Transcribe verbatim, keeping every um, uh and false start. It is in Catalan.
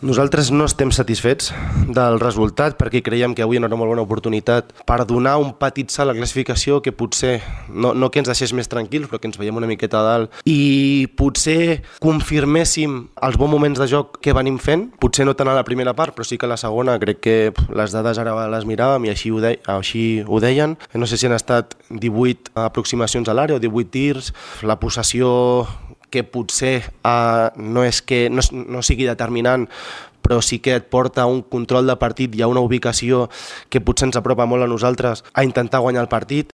Nosaltres no estem satisfets del resultat perquè creiem que avui era una molt bona oportunitat per donar un petit salt a la classificació que potser, no, no que ens deixés més tranquils, però que ens veiem una miqueta a dalt i potser confirméssim els bons moments de joc que venim fent, potser no tant a la primera part, però sí que a la segona crec que les dades ara les miràvem i així ho, de, així ho deien. No sé si han estat divuit aproximacions a l'àrea o divuit tirs, la possessió que potser uh, no és que no, no sigui determinant, però sí que et porta a un control de partit i a una ubicació que potser ens apropa molt a nosaltres a intentar guanyar el partit.